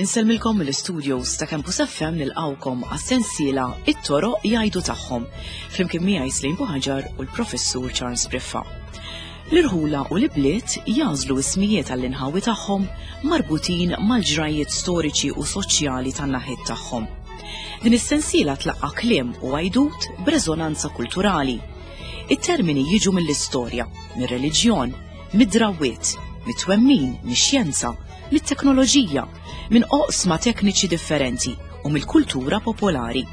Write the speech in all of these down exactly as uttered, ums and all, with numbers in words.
Insellmilkom mill-studios ta' Campus F M, nilqgħukom għas-sensiela It-Toroq Jgħidu Tagħhom, flimkien miegħi Slim Buħaġar u l-Professur Charles Briffa. L-irħula u l-bliet jagħżlu ismijiet għall-inħawi tagħhom marbutin mal-ġrajiet storiċi u soċjali tan-naħiet tagħhom. Din is-sensiela tlaqqa kliem u għajdut b'reżonanza kulturali. It-termini jiġu mill-istorja, mir-reliġjon, mid-drawwiet, mit-twemmin, mix-xjenza, mit-teknoloġija, minn oqsma tekniċi differenti u mill-kultura popolari.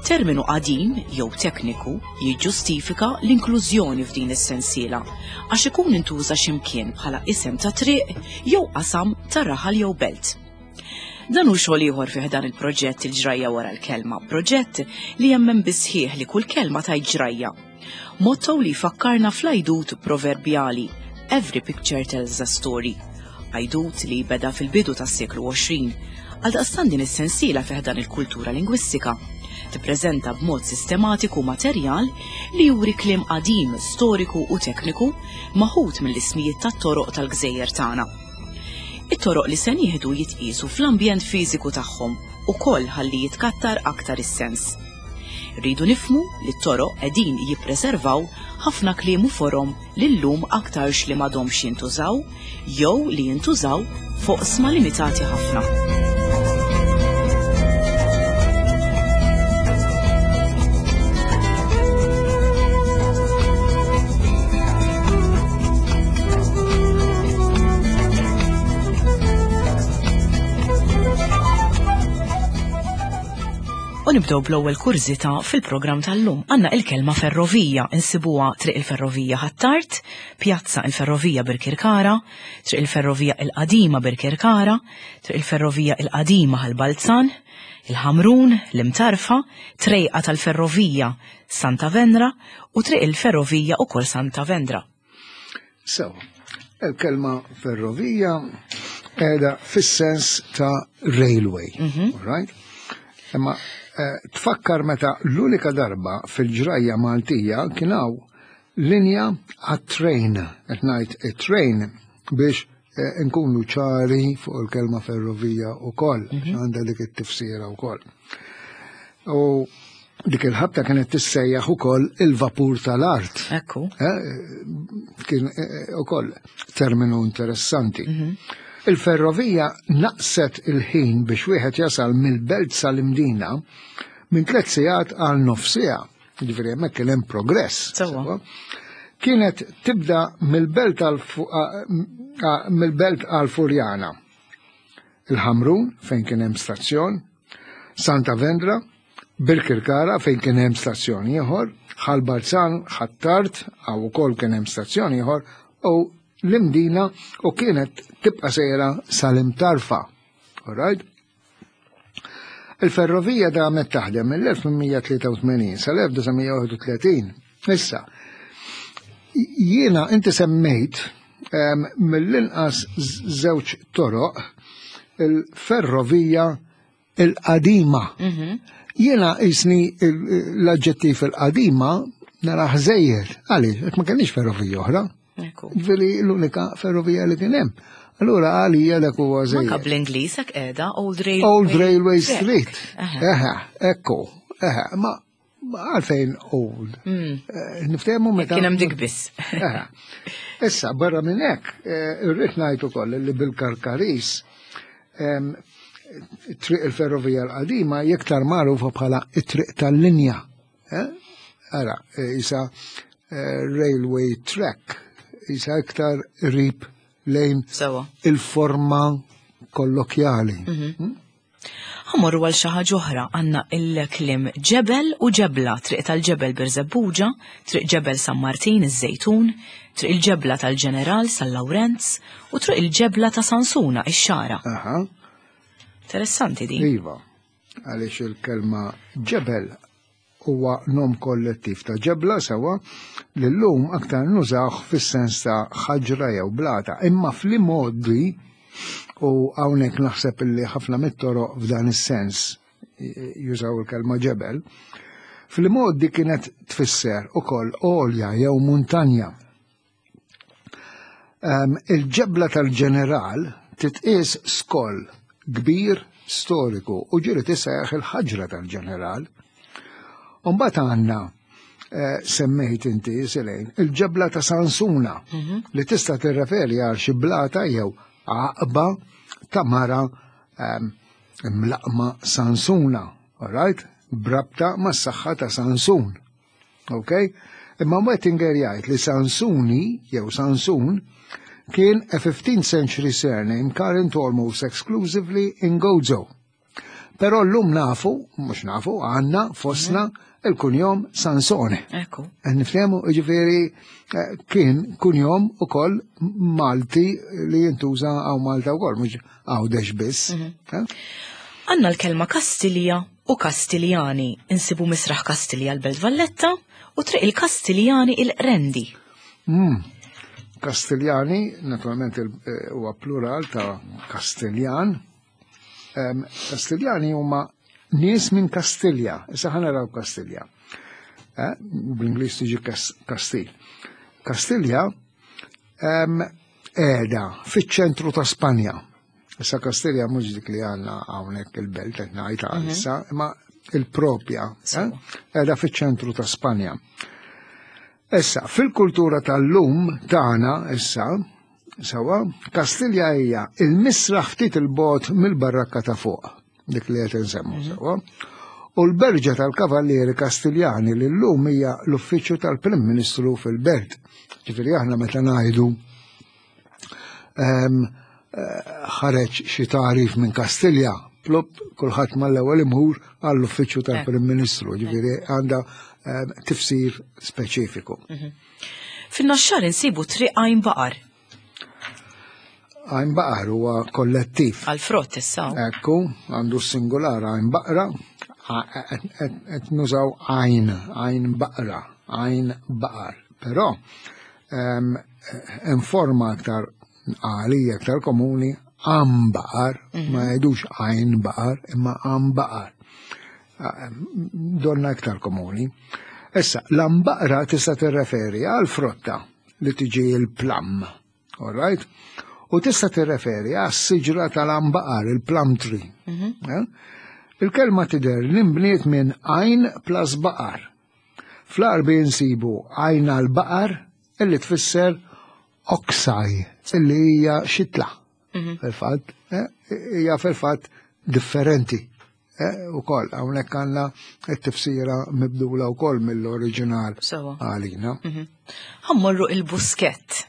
Terminu qadim jew tekniku jiġġustifika l-inklużjoni f'din is-sensiela għax ikun intuża x'imkien bħala isem ta' triq jew qasam ta' raħal jew belt. Dan hu xogħol ieħor fih dan il-proġett Il-Ġrajja Wara l-Kelma, proġett li jemmen bisħieħ li kull kelma tgħid ġrajja. Motto li fakkarna fl-għajdut proverbjali "Every picture tells a story". Għajdut li beda fil-bidu tas-seklu għoxrin. Għaldaqstant din is-sensiela fih dan il-kultura lingwistika tippreżenta b'mod sistematiku materjal li juri kliem qadim, storiku u tekniku maħut mill-ismijiet tat-toroq tal-gżejjer tagħna. It-toroq li se nieħdu jitqisu fl-ambjent fiżiku tagħhom ukoll ħalli jitkattar aktar is-sens. Rridu nifhmu li t-toroq qegħdin jippreservaw ħafna kliem u forom li llum aktarx li m'għadhomx jintużaw jew li jintużaw f'oqsma limitati ħafna. U nibdew bl-ewwel kurżità fil-programm tal-lum. Għandna il-kelma ferrovija, insibuha Triq il-Ferrovija Ħ'Attard, Pjazza il-Ferrovija Birkirkara, Triq il-Ferrovija il-Qadima Birkirkara, Triq il-Ferrovija il-Qadima Ħal Balzan, il-Ħamrun, l-Imtarfa, Trejqa tal-Ferrovija Santa Venra u Triq il-Ferrovija ukoll Santa Vendra. So, il-kelma ferrovija qiegħda fis-sens ta' railway, mm right? Imma eh, tfakkar meta l-unika darba fil-ġrajja Maltija kien hawn linja għat-train, qed ngħid it-train biex eh, nkunu ċari fuq il-kelma ferrovija ukoll, mhm. għandha dik it-tifsira wkoll. U dik il-ħabta kienet tissejjaħ ukoll il-vapur tal-art. Ekku. Eh, kien ukoll terminu interessanti. Mhm. Il-ferrovija naqset il-ħin biex wieħed jasal mill-belt sal-Imdina minn tliet sigħat għal nofs siegħa. Ġifieri hemmhekk kien hemm progress. Kienet tibda mill-belt mill-belt għal Furjana. Il-Ħamrun fejn kien hemm stazzjon, Santa Vendra, Birkirkara fejn kien hemm stazzjon ieħor, Ħal Balzan, Ħ'Attard, hawn ukoll kien hemm stazzjon ieħor, u l-Imdina u kienet tibqa sejra sal-Imtarfa. Alright? Il-ferrovija damet taħdem mill-elf tmien mija tlieta u tmenin sal-elf disa' mija wieħed u tletin. Issa, jiena inti semmejt mill-inqas żewġ toroq il-ferrovija il-qadima. Mhm. Jiena jisni l-aġġettiv il-qadima naraħ żejjed. Għaliex, ma kellniex ferrovija oħra. Ġifieri l-unika ferrovija li kien hemm. Allura għalija dak huwa żejjed. Anka bl-Ingliż hekk qiegħda, Old Railway. Old Railway Street. Eħe, ekku. Eħe, ma għalfejn old? Hmm. Eh, niftehmu meta. Kien hemm dik biss. Issa, barra minn hekk, eh, irrid ngħid ukoll li bil-Karkaris Triq il-Ferrovija l-Qadima iktar magħrufa bħala it-triq tal-linja. Eh? Ara, isa railway track, isa iktar qrib lejn il-forma kollokjali. Mhm. Hmm? Ħa mmorru għal xi ħaġa oħra, għandna il-kliem ġebel u ġebla, Triq tal-Ġebel Birżebbuġa, Triq Ġebel San Martin iż-Żejtun, Triq il-Ġebla tal-Ġeneral San Lawrenz u Triq il-Ġebla ta' Sansuna ix-Xagħra. Interessanti din. Iva, għaliex il-kelma ġebel huwa nom kollettiv ta' ġebla, sewa, li llum aktar nużawh fis-sens ta' ħaġra jew blata, imma fl-imgħoddi, u hawnhekk naħseb illi ħafna mit-toroq f'dan is-sens jużaw il-kelma ġebel, Fil-modi kienet tfisser ukoll għolja jew muntanja. Um, il-ġebla tal-ġeneral titqies skoll kbir storiku u ġieli tissejjaħ il-ħaġra tal-ġeneral. Umbagħad għandna eh, semmejt inti Selejn, il-ġebla ta' Sansuna li tista' tirreferi għal xi blata jew għaqba ta' mara um, mlaqma Sansuna, all right? B'rabta mas-saħħa ta' Sansun. Ok? Imma Wettinger jgħid li Sansuni jew Sansun kien a fifteenth century surname current almost exclusively in Gozo. Però llum nafu, mhux nafu, għandna fostna il-kunjom Sansone. Ekku. Nifhemu, ġifieri, eh, kien kunjom ukoll Malti li jintuża hawn Malta ukoll, mhux Għawdex biss. Eh? Għandna l-kelma Kastilja u Kastiljani. Insibu Misraħ Kastilja l-Belt Valletta u Triq il-Kastiljani il-Qrendi. Mm. Kastiljani, naturalment il- eh, huwa plural ta' Kastiljan. Em, Kastiljani huma nies minn Kastilja. Issa ħa naraw Kastilja. Eh, Bl-Ingliż tiġi Kas- Kastil. Kastilja em, qiegħda fiċ-ċentru ta' Spanja. Issa Kastilja mhux dik li għandna hawnhekk il-belt qed ngħid issa, imma il-propja eh, qiegħda fiċ-ċentru ta' Spanja. Issa, fil-kultura tal-lum tagħna issa, sawa, Kastilja hija il-misraħ ftit il-bogħod mill-barrakka ta' fuq, dik li qed insemmu sawa. U l-berġa tal-Kavallieri Kastiljani li llum hija l-uffiċċju tal-Prim Ministru fil-Belt. Ġifieri aħna meta ngħidu em, eh, ħareġ xi tagħrif minn Kastilja, plop kulħadd mal-ewwel imur għall-uffiċċju tal-Prim Ministru, ġifieri għandha em, tifsir speċifiku. Fin-Naxxar insibu Triq Għajn Baqar. Għajn Baqar huwa kollettiv. Għal-frott issa. Ekku, għandu singular għajn baqra, qed nużaw għajn, għajn baqra, għajn baqar. Però, em, hemm forma aktar għalija, aktar komuni, għam baqar, ma jgħidux għajn baqar, imma għam baqar. Donna aktar komuni. Issa, l-ambaqra tista' tirreferi għal frotta li tiġi il-plum, all right? U tista' tirreferi għas siġra tal-ambaqar, il-plum tree. Eh? Il-kelma tidher li nbniet minn għajn plus baqar. Fl-Għarbi nsibu għajn għal-baqar illi tfisser ox-eye, illi hija xitla. Fil-fatt, eh, hija fil-fatt differenti. Eh, u koll, hawnhekk għandna t-tifsira mibdula u koll mill-oriġinal Sewa. għalina. Ħa mmorru il-Buskett.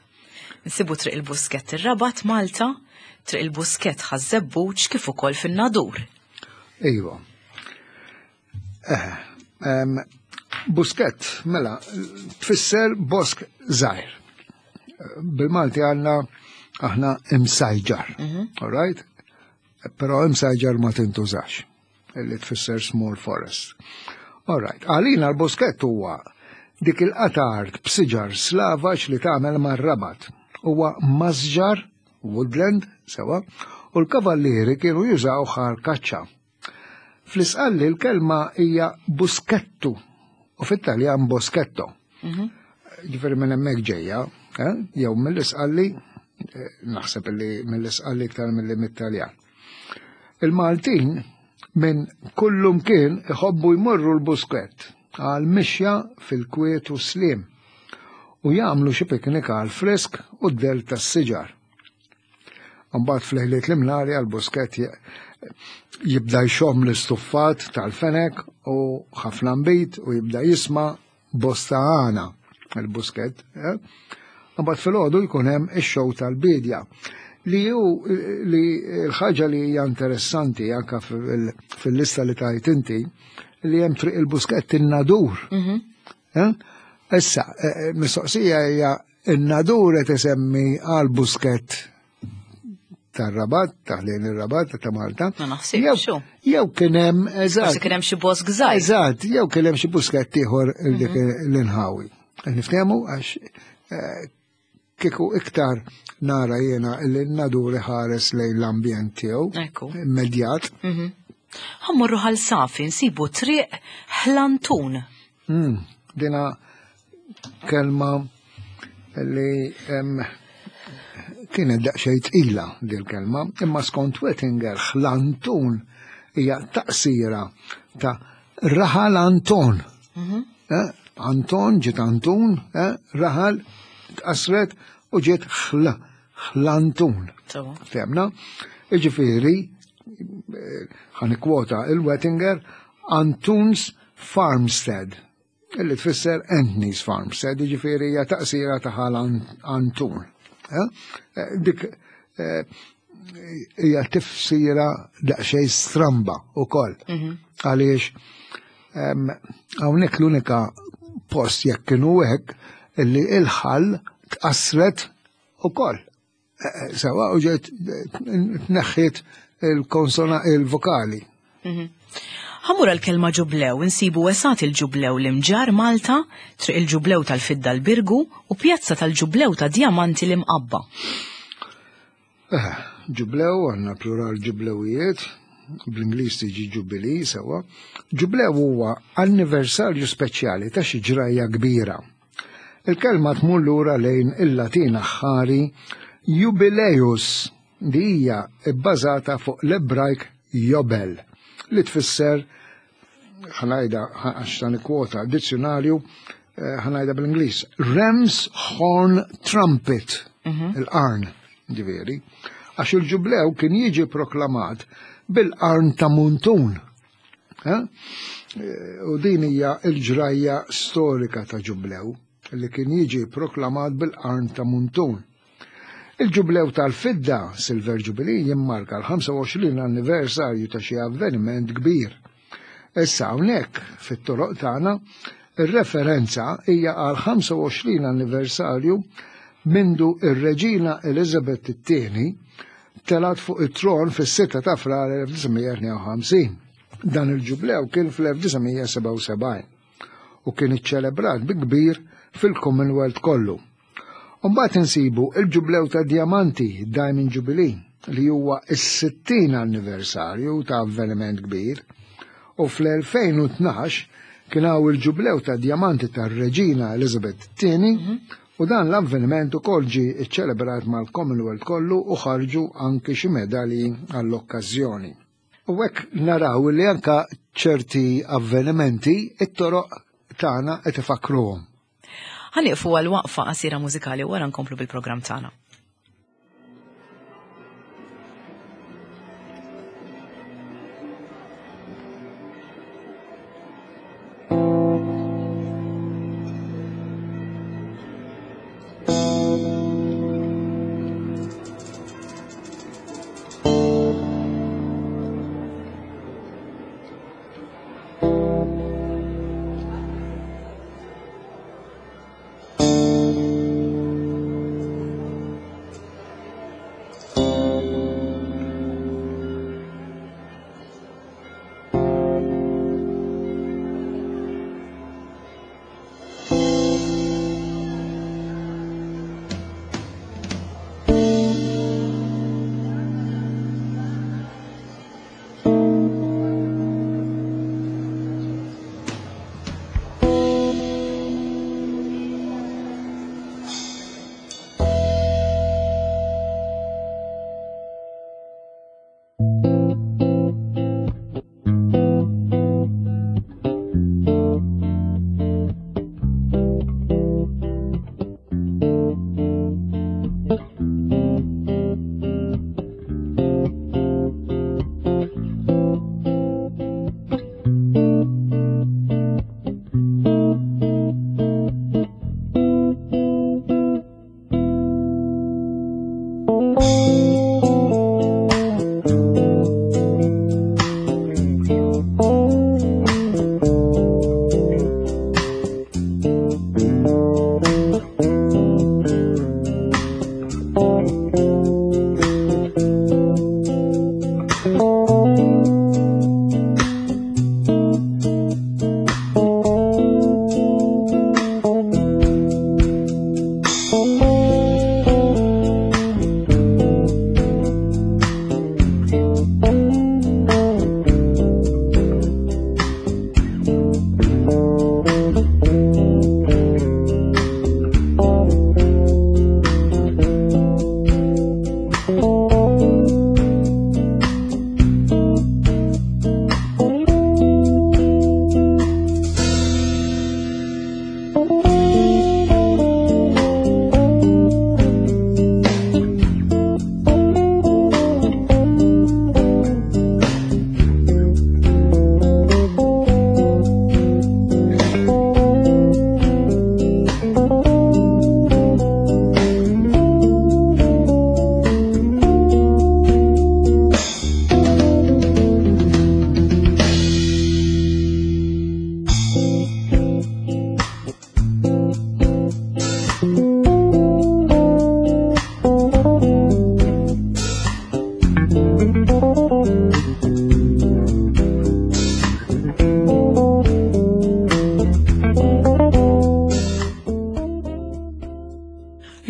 Nsibu Triq il-Buskett ir-Rabat Malta, Triq il-Buskett Ħaż-Żebbuġ kif ukoll fin-Nadur. Iva. Eh, em, Buskett, mela, tfisser bosk żgħir. Bil-Malti għandna aħna imsajġar, all right? Però imsajġar ma tintużax, illi tfisser small forest. All right, għalina l-buskett huwa dik il-qatgħa art b'siġar slavaġ li tagħmel mar-Rabat. Huwa masġar, woodland, sewa, u l-kavallieri kienu jużaw għal kaċċa. Fl-Isqalli l-kelma hija buskettu u fit-Taljan boschetto. Ġifieri minn hemmhekk ġejja, eh? Jew mill-Isqalli, eh, naħseb li mill-Isqalli iktar milli mit-Taljan. Il-Maltin minn kullum kien iħobbu jmorru l-buskett għal mixja fil-kwiet u slim u jagħmlu xi piknik għal frisk u d-del tas-siġar. Mbagħad f'lejliet l-imnari għal-buskett jibda jxomm l-istuffat tal-fenek u ħafna nbid u jibda jisma' bosta għana il-buskett. Eh? Mbagħad filgħodu jkun hemm ix-show tal-bidja. Li ju li l-ħaġa li hija interessanti anka fil-lista li tajt inti li hemm Triq il-Buskett in-Nadur. Eh? Issa, eh, mistoqsija hija in-Nadur qed isemmi għal buskett tar-Rabat, taħlejn ir-Rabat ta' Malta. Ma naħsibx, xu. Jew kien hemm, eżatt. Forsi kien hemm xi bosk żgħir. Eżatt, jew kien hemm xi buskett ieħor dik l-inħawi. Niftehmu għax eh, kieku iktar nara jiena li n-Nadur ħares lejn l-ambjent tiegħu Ekku. immedjat. Ħa mmorru Ħal Safi nsibu Triq Ħlantun. Mm, dina kelma li kienet daqsxejn tqila dil kelma, imma skont Wettinger Ħlantun hija taqsira ta' Raħal Anton. Mm-hmm. Eh, Anton ġiet Antun, eh, raħal tqasret u ġiet ħla, Ħlantun. Femna? Iġifieri, ħa nikkwota il-Wettinger, Antun's Farmstead, illi tfisser Anthony's Farmstead, iġifieri hija taqsira ta' ħal Antun. Eh, dik hija tifsira daqsxejn stramba wkoll. Mhm. Għaliex hawnhekk l-unika post jekk kienu hekk illi il-ħal tqassret ukoll. Sewa u ġiet tneħħiet il-konsona il-vokali. Mhm. Ħa mmur l-kelma ġublew, insibu wesat il-ġublew l-Imġarr Malta, triq il-ġublew tal-Fidda l-Birgu u pjazza tal-ġublew ta' Diamanti l-Imqabba. Eh, ġublew, għandna plural ġublewijiet, bl-Ingliż tiġi jubilee, sewa. Ġublew huwa anniversarju speċjali ta' xi ġrajja kbira. Il-kelma tmur lura lejn il-Latin aħħari jubileus, di hija bbażata fuq l-Ebrajk jobel, li tfisser, ħa ngħidha għax ta' kwota dizzjonarju, eh, ħa ngħidha bl-Ingliż, Ram's Horn Trumpet, mhm. il-qarn, ġifieri, għax il-ġublew kien jiġi proklamat bil-qarn ta' muntun. Eh? U din hija l-ġrajja storika ta' ġublew li kien jiġi proklamat bil-qarn ta' muntun. Il-ġublew tal-fidda, Silver Jubilee, jimmarka l-ħamsa u għoxrin anniversarju ta' xi avveniment kbir. Issa hawnhekk fit-toroq tagħna ir-referenza hija għal ħamsa u għoxrin anniversarju mindu ir-Reġina Elizabeth it-tieni telat fuq it-tron fis-sitta ta' Frar elf disa' mija tnejn u ħamsin. Dan il-ġublew kien fl-elf disa' mija sebgħa u sebgħin u kien iċċelebrat bi kbir fil-Commonwealth kollu. Mbagħad insibu il-ġublew ta' Diamanti, Diamond Jubilee, li huwa is-sittin anniversarju ta' avveniment kbir, u fl-elfejn u tnax kien hawn il-ġublew ta' Diamanti tar-Reġina Elizabeth it-tieni, Mhm. u dan l-avveniment ukoll ġie ċċelebrat mal-Commonwealth kollu u ħarġu anke xi medalji għall-okkażjoni. U hekk naraw li anka ċerti avvenimenti it-toroq tagħna qed ifakruhom. Ħa nieqfu għal waqfa qasira mużikali wara nkomplu bil-programm tagħna.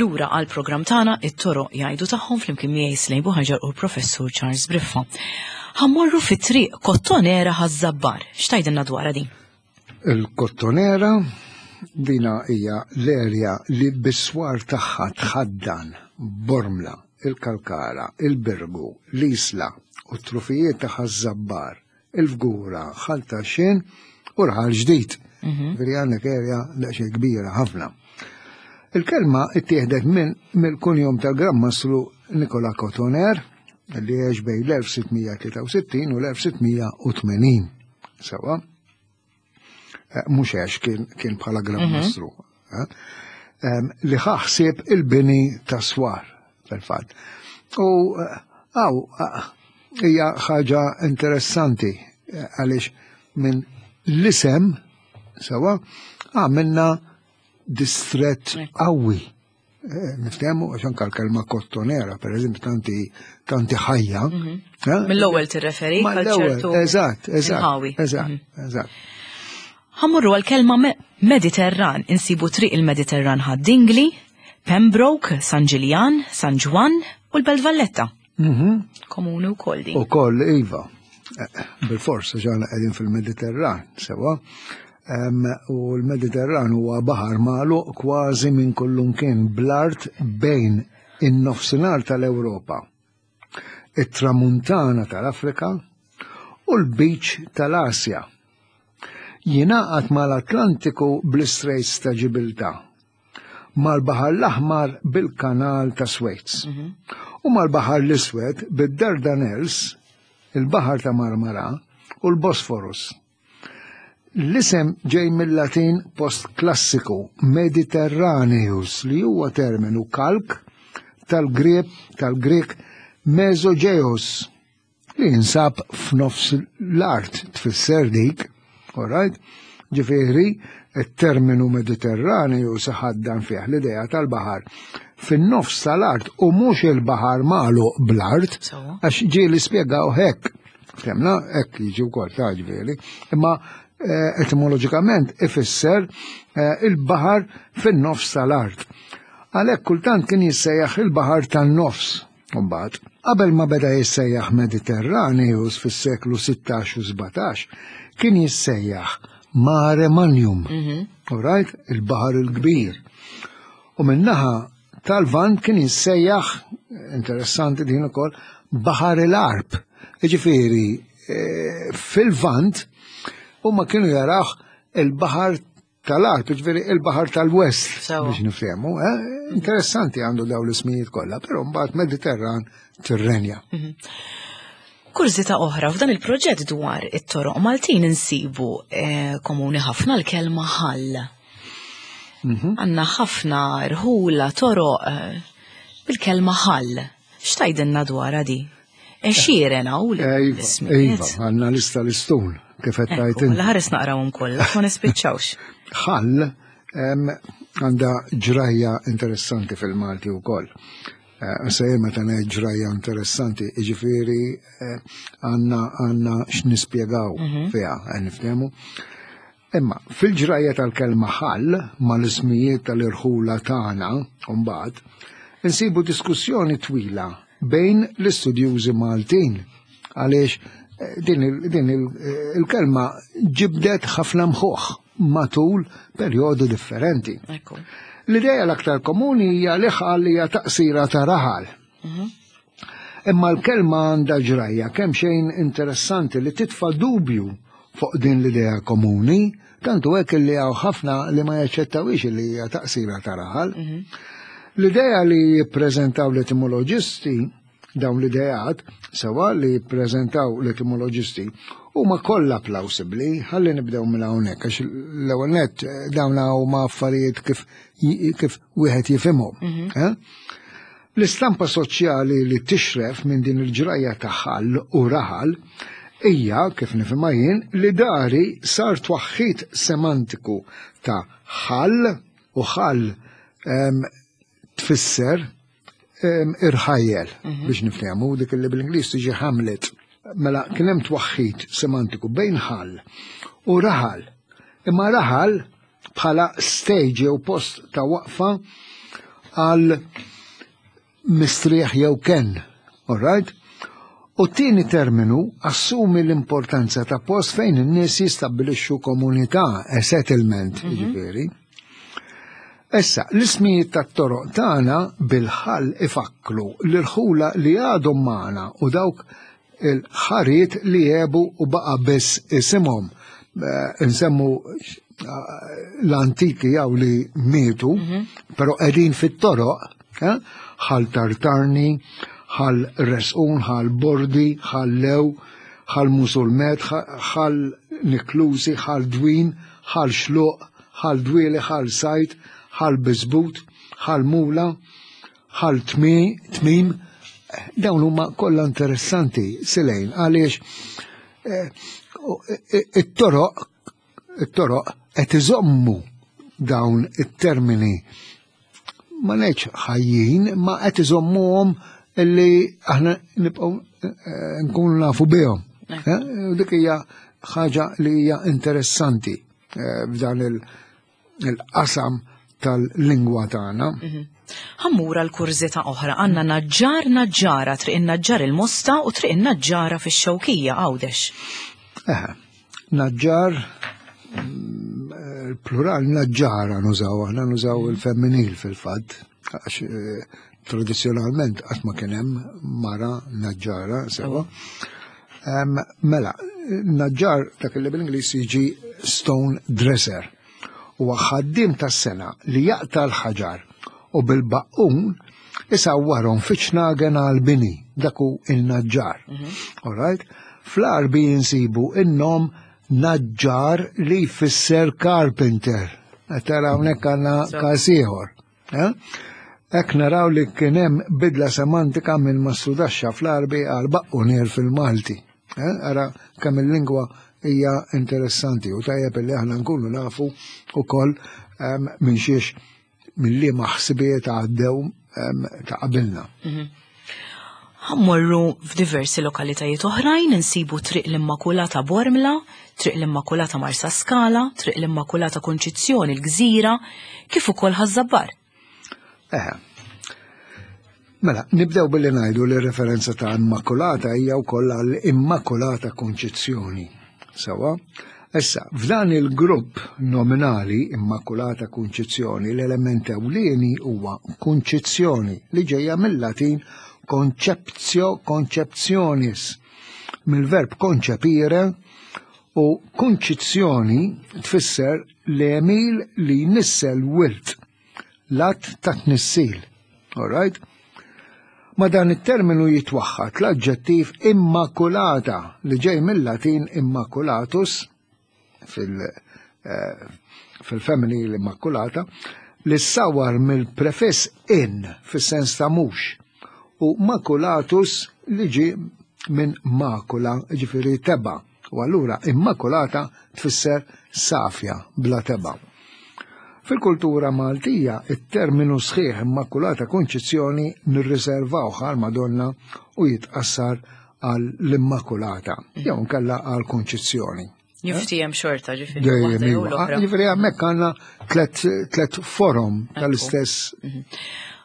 Lura għal programm tagħna it-toroq jgħidu tagħhom flimkien miegħi Slejn Buħaġar u l-Professur Charles Briffa. Ħammorru fit-triq Kottonera Ħaż-Żabbar. X'tgħidilna dwarha din? Il-Kottonera dina hija l-erja li bis-swar tagħha tħaddan Bormla, il-Kalkara, il-Birgu, l-Isla u t-trufijiet ta' Ħaż-Żabbar, il-Fgura, Ħal Tarxien u Raħal Ġdid. Veri għandek erja daqsxejn kbira ħafna. Il-kelma ittieħdet minn mill-kunjom tal-Gran Mastru Nikola Cotoner li għex bejn l-elf sitt mija tlieta u sittin u l-elf sitt mija u tmenin. Sewa? Eh, mhux għex kien, kien bħala Gran Mhm. Mastru. Eh? Em, li ħaħsib il-bini ta' swar, fil-fatt. U eh, għaw, eh, hija ħaġa interessanti eh, għaliex minn l-isem, sewa, għamilna distret qawwi. Eh, Niftehmu għax anke l-kelma kottonera, per eżempju, tanti tanti ħajja. Mhm. Eh? Mill-ewwel tirreferi għal Mal-ewwel, ċertu Eżatt, eżatt. inħawi. Eżatt, Mhm. eżatt. Ħammurru għal-kelma me Mediterran, insibu triq il-Mediterran Ħad-Dingli, Pembroke, San Ġiljan, San Ġwann u l-Belt Valletta. Mhm. Komuni u koll din. U koll, iva, Eh, bil-fors, ġana qegħdin fil-Mediterran, sewa. Em, u l-Mediterran huwa baħar magħluq kważi minn kullumkien bl-art bejn in-nofsinhar tal-Ewropa, it-tramuntana tal-Afrika u l-beach tal-Asja. Jingħaqad mal-Atlantiku bl-Straits ta' Ġibiltà, mal-Baħar l-Aħmar bil-Kanal ta' Suez u mal-Baħar l-Iswed bid-Dardanelles, il-Baħar ta' Marmara u l-Bosforus. L-isem ġej mill-Latin post-klassiku Mediterraneus li huwa terminu kalk tal-Grek tal-Grek Mesogeos li jinsab f'nofs l-art tfisser dik, all right? Ġifieri, il-terminu Mediterraneu saħaddan fih l-idea tal-baħar fin-nofs tal-art u mhux il-baħar magħluq bl-art, Sewwa. għax ġieli spjegaw hekk. Ftemna, hekk jiġi wkoll ta' ġifieri. Imma eh, etimoloġikament ifisser eh, il-baħar fin-nofs tal-art. Għalhekk kultant kien jissejjaħ il-baħar tan-nofs. Mbagħad, qabel ma beda jissejjaħ Mediterraneus fis-seklu sittax u sbatax, kien jissejjaħ Mare Magnum. Mhm. All right? Il-baħar il-kbir. U minnaħa tal-Lvant kien jissejjaħ, interessanti din ukoll, Baħar il-Għarb. Jiġifieri, eh, fil-Lvant huma kienu jaraw il-baħar tal-Għarb, jiġifieri il-baħar tal-West, Sewa. biex niftehmu. Eh? Interessanti għandu daw l-ismijiet kollha, però mbagħad Mediterran tirrenja. Kurżità oħra, f'dan il-proġett dwar it-toroq Maltin insibu eh, komuni ħafna l-kelma ħall. Mhm. Għanna ħafna rħula toroq eh, bil-kelma ħall. X'tgħidilna dwarha di? Għexieren hawn Iva, l-ismijiet. iva, għandna lista l-istun, kif qed tgħid Ekku, inti. l-ħares naqrawhom kollha, ma nispiċċawx. Ħall em, għandha ġrajja interessanti fil-Malti wkoll. Eh, Se meta ngħid ġrajja interessanti, jiġifieri eh, għandna għandna x'nispjegaw fiha, eh, niftehmu. Imma fil-ġrajja tal-kelma ħall mal-ismijiet tal-irħula tagħna mbagħad insibu diskussjoni twila bejn l-istudjużi Maltin għaliex eh, din il- din il- eh, il-kelma ġibdet ħafna mħuħ matul perjodi differenti. Ekku. L-ideja l-aktar komuni hija li ħal hija taqsira ta' raħal. Imma l-kelma għandha ġrajja kemm xejn interessanti li titfa' dubju fuq din l-idea komuni, tantu hekk li hawn ħafna li ma jaċċettawix li hija taqsira ta' raħal. L-idea li jippreżentaw l-etimoloġisti, dawn l-ideat, sewa li jippreżentaw l-etimoloġisti, huma kollha plawsibbli, ħalli nibdew minn hawnhekk, għax l-ewwel nett dawn huma affarijiet kif kif wieħed jifhimhom. Eh? L-istampa soċjali li tixref minn din il-ġrajja ta' ħal u raħal hija, kif nifhimha jien, li dari sar twaħħid semantiku ta' ħal u ħal em, tfisser em, irħajjel, biex nifhmu dik li bil-Ingliż tiġi hamlet. Mela kien hemm twaħħid semantiku bejn ħal u raħal. Imma raħal bħala stage jew post ta' waqfa għal mistrieħ jew ken, all right? U t-tieni terminu assumi l-importanza ta' post fejn in-nies jistabbilixxu komunità, a settlement, jiġifieri. Issa, l-ismijiet tat-toroq tagħna bil-ħal ifakkru l-irħula li għadhom magħna u dawk il-ħariet li jebu u baqa' biss isimhom. Eh, Nsemmu eh, l-antiki jew li mietu, però qegħdin fit-toroq, eh, ħal Tartarni, ħal Resqun, ħal Bordi, ħal Lew, ħal Musulmet, ħal Niklusi, ħal Dwin, ħal Xluq, ħal Dwieli, ħal Sajt, ħal Bizbut, ħal Mula, ħal Tmim. Dawn huma kollha interessanti silejn għaliex eh, it-toroq it-toroq qed iżommu dawn it-termini ma ngħidx ħajjin, ma qed iżommuhom illi aħna nibqgħu eh, nkunu nafu bihom. Eh, u dik hija ħaġa li hija interessanti eh, f'dan il-qasam tal-lingwa tagħna. Ħa mmur għal kurżità oħra, għandna Naġġar Naġġara, Triq in-Naġġar il-Mosta u Triq in-Naġġara fix-Xewkija Għawdex. Eh, Naġġar, mm, il-plural naġġara nużaw, aħna nużaw il-femminil fil-fatt, għax eh, tradizjonalment qatt ma kien hemm mara naġġara, sewa. Em, Mela, naġġar dak li bil-Ingliż jiġi stone dresser. Huwa ħaddiem tas-sengħa li jaqta' l-ħaġar u bil-baqqun isawwarhom fi ċnagen għal-bini, dak hu il-naġġar. All right? Fl-Għarbi insibu in-nom naġġar li jfisser carpenter. Tara hawnhekk għandna każ ieħor. Eh? Hekk naraw li kien hemm bidla semantika minn mastrudaxxa fl-Għarbi għal baqqunier fil-Malti. Eh? Ara kemm il-lingwa hija interessanti u tajjeb li aħna nkunu nafu ukoll em, minn xiex minn liema ħsibijiet għaddew em, ta' qabilna. Ħa mmorru f'diversi lokalitajiet oħrajn insibu Triq l-Immakulata Bormla, Triq l-Immakulata Marsa Skala, Triq l-Immakulata Konċizzjoni l-Gżira, kif ukoll Ħaż-Żabbar. Eħe. Mela, nibdew billi ngħidu li referenza ta' Immakulata hija wkoll għall Immakulata Konċizzjoni. Sewa? Issa, f'dan il-grupp nominali Immakulata Konċizzjoni, l-element ewlieni huwa konċizzjoni li ġejja mill-Latin conceptio conceptionis, mill-verb concepire, u konċizzjoni tfisser l-għemil li jnissel wild, l-att ta' tnissil. All right? Ma dan it-terminu jitwaħħad l-aġġettiv immakulata li ġej mill-Latin immaculatus fil- eh, fil-femminil immakulata li ssawar mill-prefiss in fis-sens ta' mhux u maculatus li ġi minn makula, ġifieri tebgħa. U allura immakulata tfisser safja bla tebgħa. Fil-kultura Maltija, it-terminu sħiħ Immakulata Konċizzjoni nirriservawh għal Madonna u jitqassar għal l-Immakulata, jew nkella għal Konċizzjoni. Jiftiehem xorta ġifieri. Dejjem waħda jew iva. l-oħra. Ġifieri hemmhekk għandna tlet tlet forom tal-istess.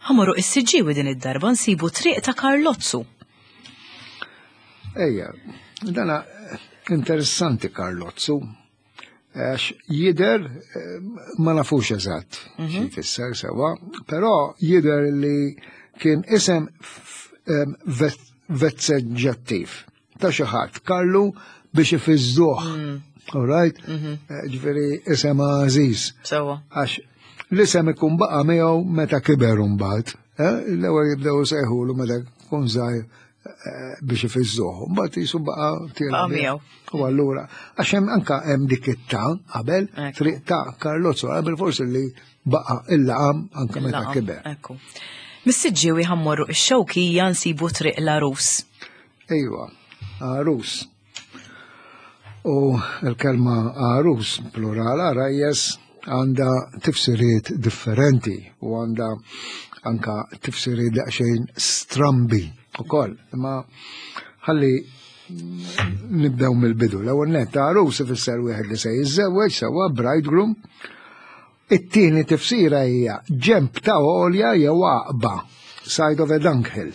Ħa mmorru is-Siġġiewi din id-darba nsibu Triq ta' Karlozzu. Ejja, dana interessanti Karlozzu, għax jider, eh, ma nafux eżatt xi jfisser sewa, però jider li kien isem f- em, vet- vezzeġġattiv ta' xi ħadd Karlu biex ifizzuh. All right? Eh, Ġifieri isem għażiż. Sewwa. Għax l-isem ikun baqa' miegħu meta kiber mbagħad. eh? L-ewwel jibdew sejħulu meta kun żgħir eh, biex ifiżżuh. Mbagħad jisu baqa' tiela' Baqa' bih. miegħu. U allura, għax hemm anka hemm dik it-ta qabel, Ekku. triq ta' Karlozzo qabel forsi li baqa' il-laqam anka meta Il-laqam, kiber. Ekku. Mis-Siġġiewi ħa mmorru ix-Xewkija nsibu Triq l-Għarus. Ejwa, għarus. U l-kelma għarus, plural għarajjes, għandha tifsiriet differenti u għandha anka tifsiriet daqsxejn strambi ukoll. Imma ħalli nibdew mill-bidu. L-ewwel nett għarus ifisser wieħed li se jiżżewweġ sewwa bridegroom. It-tieni tifsira hija ġemp ta' għolja jew għaqba, side of a dunghill.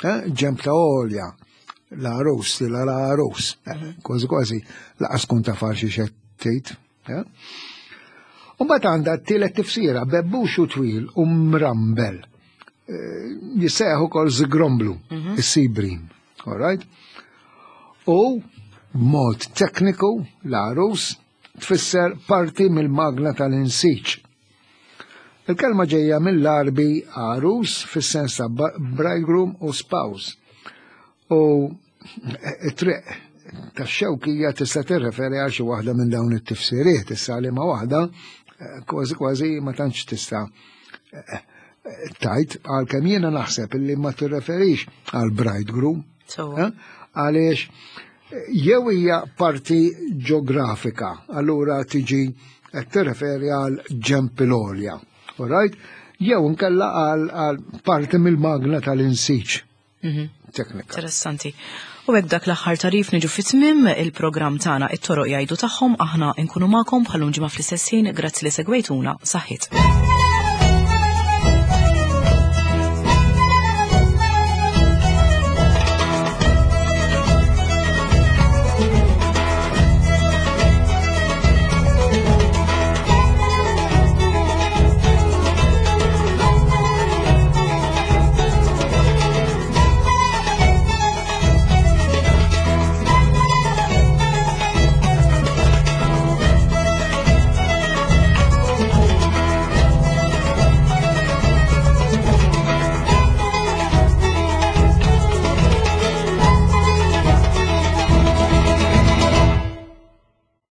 Eh? Ġemp ta' għolja, l-għarus, la l-għarus. Eh, Kważi kważi lanqas tkun taf xi xettejt. Eh? U mbagħad għandha t-tielet tifsira, bebbuxu twil u mrambel. Eh, Jissejjaħ ukoll żgromblu, is-sea bream. All right? U b'mod tekniku l-għarus tfisser parti mill-magna tal-insiġ. Il-kelma ġejja mill-Għarbi għarus fis-sens ta' ba- bridegroom u spouse. U it-triq tax-Xewkija tista' tirreferi għal xi waħda minn dawn it-tifsiriet, issa li ma waħda eh, kważi kważi ma tantx tista' eh, eh, tajt għalkemm jiena naħseb illi ma tirreferix għal bridegroom. Sewwa. Eh? Għaliex jew hija parti ġeografika, allura tiġi qed tirreferi għal ġemp il-għolja. All right? Jew inkella għal, għal parti mill-magna tal-insiġ. Teknika. Interessanti. U hekk dak l-aħħar tarif niġu fit-tmim il-programm tagħna It-Toroq Jgħidu Tagħhom, aħna nkunu magħkom bħal ġimgħa fl-istess ħin, grazzi li segwejtuna, saħħit.